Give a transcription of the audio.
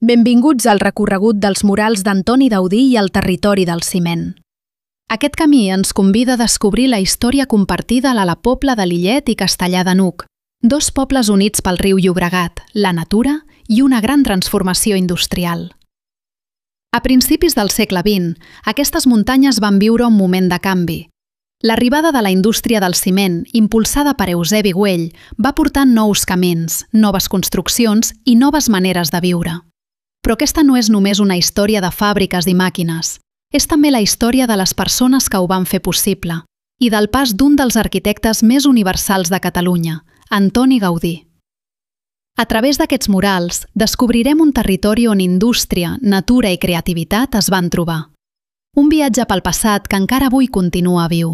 Benvinguts al recorregut dels murals d'Antoni Gaudí i el territori del ciment. Aquest camí ens convida a descobrir la història compartida a la Pobla de Lillet i Castellar de n'Hug, dos pobles units pel riu Llobregat, la natura i una gran transformació industrial. A principis del segle XX, aquestes muntanyes van viure un moment de canvi. L'arribada de la indústria del ciment, impulsada per Eusebi Güell, va portar nous camins, noves construccions i noves maneres de viure. Però aquesta no és només una història de fàbriques i màquines. És també la història de les persones que ho van fer possible i del pas d'un dels arquitectes més universals de Catalunya, Antoni Gaudí. A través d'aquests murals, descobrirem un territori on indústria, natura i creativitat es van trobar. Un viatge pel passat que encara avui continua viu.